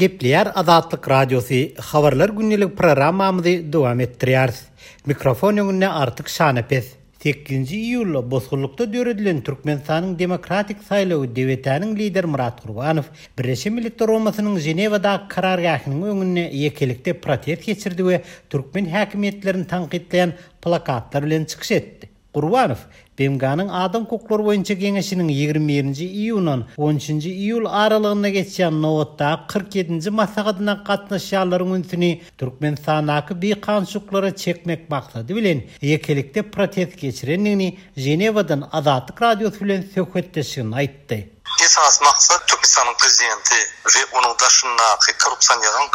Gepleýär Azatlyk Radiosy, Habarlar gündelik programmamyzy dowam etdirýäris. Mikrofon öňünde Artyk Şanepes. Sekizinji iýulda bosgunlykda döredilen Türkmenistanyň Demokratik saýlawy DWT-niň lideri Myrat Gurbanow Birleşen Milletler Guramasynyň Ženewadaky karargähiniň öňünde ýekelikde protest geçirdi we türkmen häkimiýetlerini tankytlaýan plakatlar bilen çykyş etdi. Gurbanow, BMG-niň Adam hukuklary boýunça geňeşiniň 21 nji iýundan on üçünji iýul aralygynda geçýän nobatdaky 47 nji maslahatyna gatnaşýanlaryň ünsüni Türkmenistandaky bikanunçylyklara çekmek maksady bilen ýekelikde protest geçirendigini Ženewadan Azatlyk Radiosy bilen söhbetdeşliginde aýtdy. Esasy maksat Türkmenistanyň prezidenti we onuň daşyndaky korrupsioneriň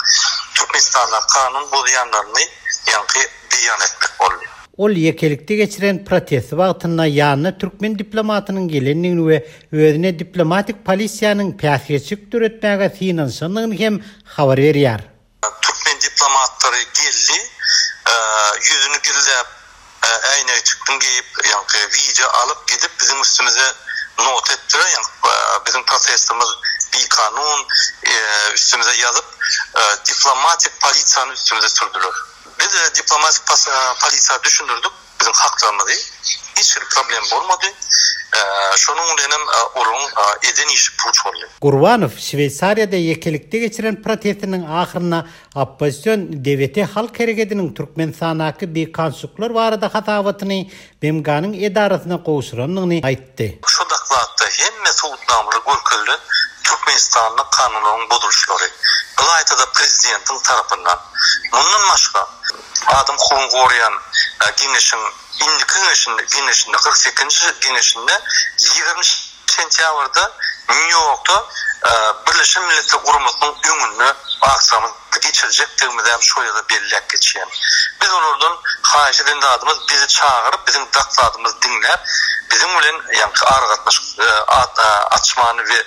Türkmenistanda kanun bozýanlaryny ýaňky beýan etmek boldy. Ol ýekelikde geçiren protesti wagtynda ýanyna türkmen diplomatynyň gelendigini we özüne diplomatik polisiýanyň päsgelçilik döretmäge synanyşandygyny hem habar berýär. Türkmen diplomatlary geldi, ýüzüni gizläp, äýnekjikini geýip, ýaňky wideo alyp gidip biziň üstümize nota etdiler, ýaňky biziň protestimiz bikanun, üstümize ýazyp, diplomatik polisiýany üstümize sürdüler. Biz diplomatik polisiýa düşündirdik biziň haklarymyzy, hiç hili problem bolmady. Şonuň bilenem olaryň eden işi puç boldy. Gurbanow Şweýsariýada ýekelikde geçiren protestiniň ahyrynda oppozision DWT halk herekediniň Türkmenistandaky bikanunçylyklar barada hasabatyny BMG-niň edarasyna gowşurandygyny aýtdy. Şu dokladda hemme subutnamalar görkezilen Türkmenistanda kanunlaryň bozulyşlary, ylaýta-da prezidentiň tarapyndan. Mundan başga, adam hukugyny goraýan geňeşiň indiki geňeşinde, geňeşinde, 48-nji geňeşinde 20 sentýabrda Nýu-Ýorkda Birleşen Milletler Guramasynyň öňünde aksiýamyzy geçirjekdigimizi hem şo ýerde belläp geçýän. Biz olardan haýyş eden zadymyz bizi çagyryp, biziň dokladymyzy diňläp, biziň bilen ýaňky aragatnaşyk açmany we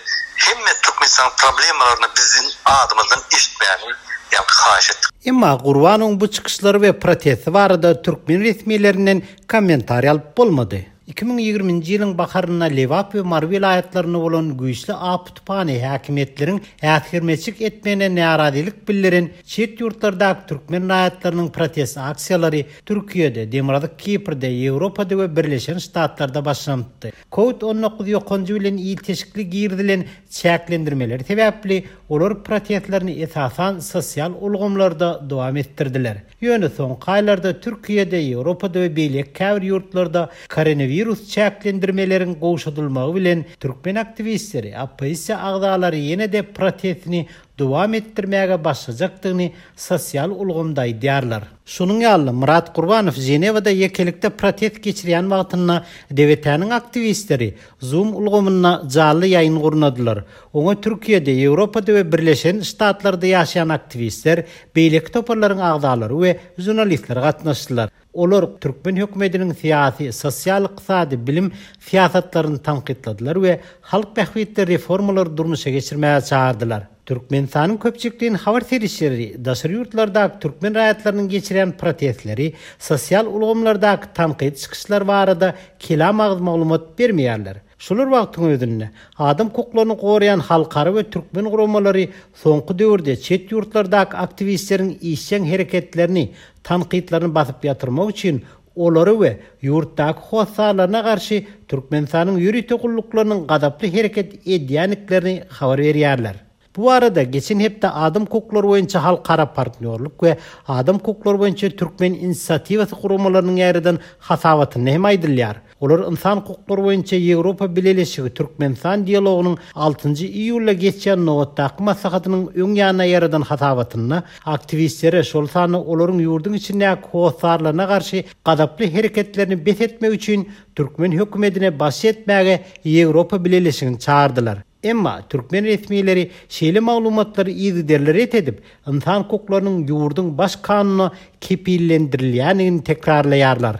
hemme Türkmenistanyň problemalaryny biziň adymyzdan eşitmäni ýaňky haýyş etdik. Emma Gurbanowyň bu çykyşlary we protesti barada türkmen resmilerinden kommentariý alyp bolmady. 2020-nji ýylyň baharynda Lebap we Mary welaýatlarynda bolan güýçli apy tupany häkimiýetleriň äsgermezçilik etmegine närazylyk bildiren çet ýurtlardaky türkmen raýatlarynyň protest aksiýalary Türkiýede, Demirgazyk Kiprde, Ýewropada we Birleşen Ştatlarda başlanypdy. Covid 19 ýokanjy bilen ilteşikli girizilen çäklendirmeler sebäpli olar protestlerini esasan sosial ulgamlarda dowam etdirdiler. Ýöne soňky aýlarda Türkiýede, Ýewropada we beýleki käbir ýurtlarda koronawirus çäklendirmeleriň gowşadylmagy bilen türkmen aktiwistleri, oppozisiýa agzalary ýene-de protestini dowam etdirmäge başlajakdygyny sosial ulgamda aýdýarlar. Şonuň ýaly-da, Myrat Gurbanow Ženewada ýekelikde protest geçirýän wagtynda DWT-niň aktiwistleri Zoom ulgamynda janly ýaýyn gurnadylar. Oňa Türkiýede, Ýewropada we Birleşen Ştatlarda ýaşaýan aktiwistler, beýleki toparlaryň agzalary we žurnalistler gatnaşdylar. Olar türkmen hökümetiniň syýasy, sosial-ykdysady, bilim syýasatlaryny tankytladylar we halk bähbitli reformalary durmuşa geçirmäge çagyrdylar. Türkmenistanyň köpçülikleýin habar serişdeleri daşary ýurtlardaky türkmen raýatlarynyň geçirýän protestleri, sosial ulgamlardaky tankydy çykyşlar barada kelam agyz maglumat bermeýärler. Şol bir wagtyň özünde, adam hukuklaryny goraýan halkara we türkmen guramalary soňky döwürde çet ýurtlardaky aktiwistleriň işjeň hereketlerini, tankytlaryny basyp ýatyrmak üçin olary we ýurtdaky hossarlaryna garşy Türkmenistanyň ýörite gulluklarynyň gazaply hereket edýändiklerini habar berýärler. Bu barada geçen hepde Adam hukuklary boýunça halkara partnýorlyk we Adam hukuklary boýunça türkmen inisiatiwasy guramalarynyň ýaýradan hasabatynda hem aýdylýar. Olar Ynsan hukuklary boýunça Ýewropa Bileleşigi-Türkmenistan dialogynyň altynjy iýulda geçýän nobatdaky maslahatynyň öň ýanynda ýaýradan hasabatynda aktiwistlere, şol sanda olaryň ýurduň içindäki hossarlaryna garşy gazaply hereketlerini bes etmek üçin türkmen hökümetine basyş etmäge Ýewropa Bileleşigini çagyrdylar. Emma türkmen resmileri şeýle maglumatlary yzygiderli ret edip, ynsan hukuklarynyň ýurduň Baş kanunda kepillendirilýändigini tekrarlaýarlar.